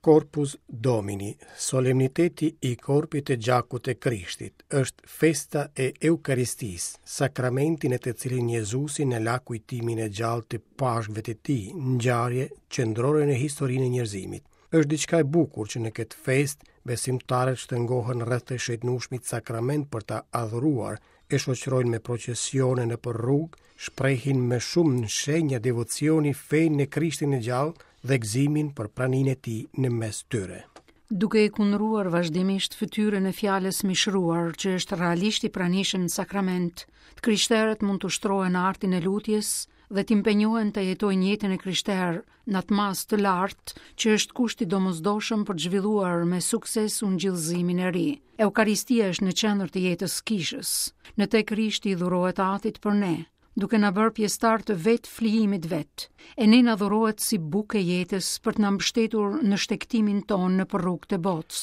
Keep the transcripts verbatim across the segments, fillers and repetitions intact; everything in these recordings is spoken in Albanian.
Corpus Domini, solemniteti i korpit e gjakut të Krishtit, është festa e Eukaristisë, sakramenti në të cilin Jezusi na la kujtimin e gjallë të Pashkëve të tij, ngjarje qendrore në historinë e njerëzimit. Është diçka e bukur që në këtë festë besimtarët shtrëngohen rreth të shejtnueshmit sakrament për ta adhuruar, e shoqërojnë me procesione nëpër rrugë, shprehin me shumë shenja devocioni fenë në Krishtin e gjallë dhe gëzimin për praninë e tij në mes tyre. Duke e kundruar vazhdimisht fytyrën e fjalës mishruar që është realisht i pranishëm në sakrament, të krishterët mund të ushtrohen në artin e lutjes dhe të impenjohen të jetojnë jetën e krishterë në atë masë të lartë që është kushti i domosdoshëm për të zhvilluar me sukses ungjillëzimin e ri. Eukaristia është në qendër të jetës së kishës. Në të Krishti i dhurohet Atit për ne, duke na bërë pjesëtar të vetë flijimit vet. E ne na dhurohet si bukë e jetës për të na mbështetur në shtegtimin tonë nëpër rrugët e botës.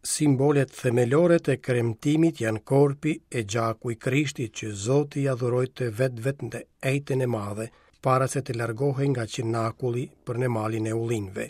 Simbolet themelore të kremtimit janë korpi e gjaku i Krishtit që Zoti ia dhuroi të vetëve në Ejten e Madhe, para se të largohej nga Qenakulli për në malin e Ullinjve.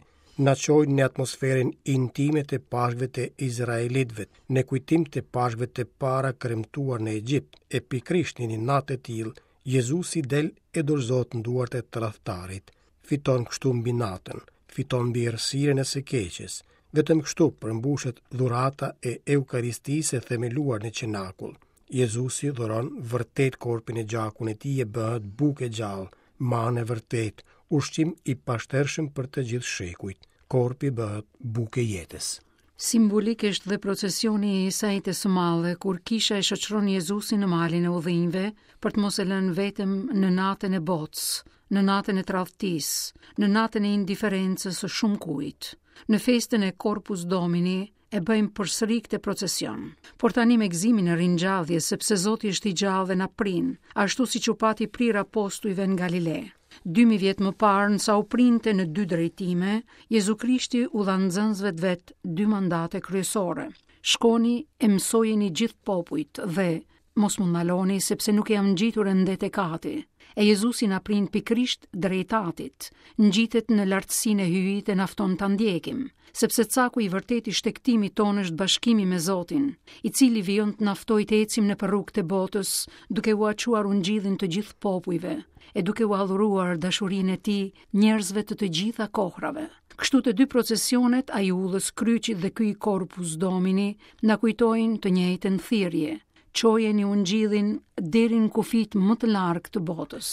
Na çojnë në atmosferën intime të Pashkëve të Izraelitëve, në kujtim të Pashkëve të para kremtuar në Egjipt, e pikërisht në një natë të tillë, Jezusi del e dorëzohet në duart e tradhtarit. Fiton kështu mbi natën, fiton mbi errësirën e së keqes. Vetëm kështu përmbushet dhurata e Eukaristisë e themeluar në Qenakull. Jezusi dhuron vërtet korpin e gjakun e tij e bëhet bukë e gjallë, manë e vërtet, ushqim i pashtershëm për të gjithë shekujt. Korpi bëhet bukë e jetës. Simbolik është dhe procesioni i së Enjtes së Madhe, kur kisha e shoqëron Jezusin në malin e Ullinjve për të mos e lënë vetëm në natën e botës, në natën e tradhtisë, në natën e indiferencës së shumë kujt. Në festën e Corpus Domini e bëjmë përsëri këtë procesion, por tani me gëzimin e ringjalljes, sepse Zoti është i gjallë dhe na prin, ashtu siç u pati prirë apostujve në Galile. Dy mijë vjet më parë, nësa u printe në dy drejtime, Jezu Krishti u dha nxënësve të vet dy mandate kryesore. Shkoni e mësojeni gjithë popujt dhe mos më ndaloni, sepse nuk jam ngjitur ende tek Ati. E Jezusi na prin pikërisht drejt Atit, ngjitet në lartësinë e Hyjit e na fton ta ndjekim, sepse caku i vërtetë i shtegtimit tonë është bashkimi me Zotin, i cili vijon të na ftojë të ecim nëpër rrugët e botës, duke ua çuar ungjillin të gjithë popujve, e duke ua dhuruar dashurinë e tij njerëzve të të gjitha kohrave. Kështu të dy procesionet, ai i ullës kryqit dhe ky i Corpus Domini, na kujtojnë të njëjtën thirrje: çojeni ungjillin deri në kufit më të largët të botës.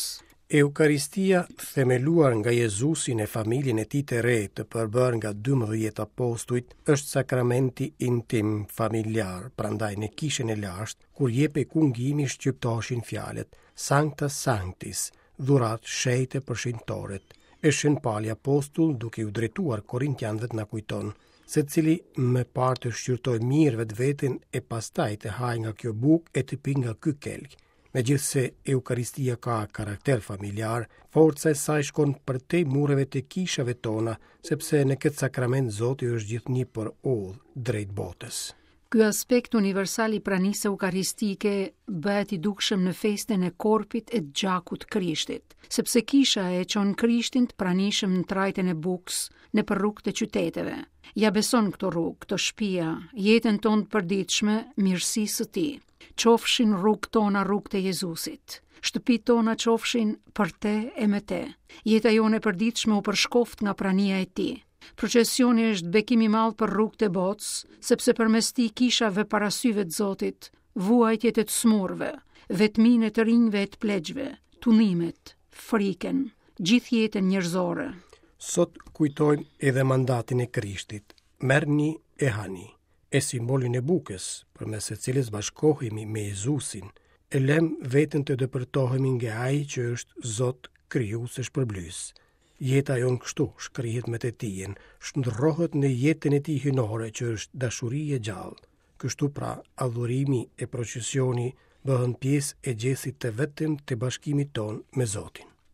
Eukaristia, themeluar nga Jezusi në familjen e tij të re, të përbërë nga dymbëdhjetë apostujt, është sakramenti intim familjar. Prandaj në kishën e lashtë, kur jepej kungimi, shqiptoshin fjalët Sancta Sanctis, dhurat shenjte për shenjtorët. E Shën Pali Apostull, duke ju drejtuar Korintianëve, na kujton se cili më parë të shqyrtojë mirë vetveten e pastaj të hajë nga kjo bukë e të pijë nga ky kelk. Megjithse Eukaristia ka karakter familjar, forca e saj shkon përtej mureve të kishave tona, sepse në këtë sakrament Zoti është gjithnjë për udhë drejt botës. Ky aspekt universal i pranisë eukaristike bëhet i dukshëm në festën e korpit e gjakut Krishtit, sepse kisha e çon Krishtin të pranishëm në trajtën e bukës nëpër rrugët e qyteteve. Ja beson këto rrugë, këto shtëpia, jetën tonë të përditshme, mirësisë së tij. Qofshin rrugët tona rrugët e Jezusit, shtëpitë tona qofshin për te e me te. Jeta jonë e përditshme u përshkoft nga prania e tij. Procesioni është bekim i madh për rrugët e botës, sepse përmes tij kisha vë para syve të Zotit vuajtjet e të smurve, vetminë e të rinjve e të pleqve, tundimet, frikën, gjithë jetën njerëzore. Sot kujtojmë edhe mandatin e Krishtit, merrni e hani, e simbolin e bukës, përmes së cilës bashkohemi me Jezusin, e lëm veten të depërtohemi nga Ai që është Zot, krijues e shpërblyes. Jeta jonë kështu shkrihet me të tijën, shndërrohet në jetën e tij hyjnore që është dashuri e gjallë. Kështu pra, adhurimi e procesioni bëhen pjesë e gjestit të vetëm të bashkimit ton me Zotin.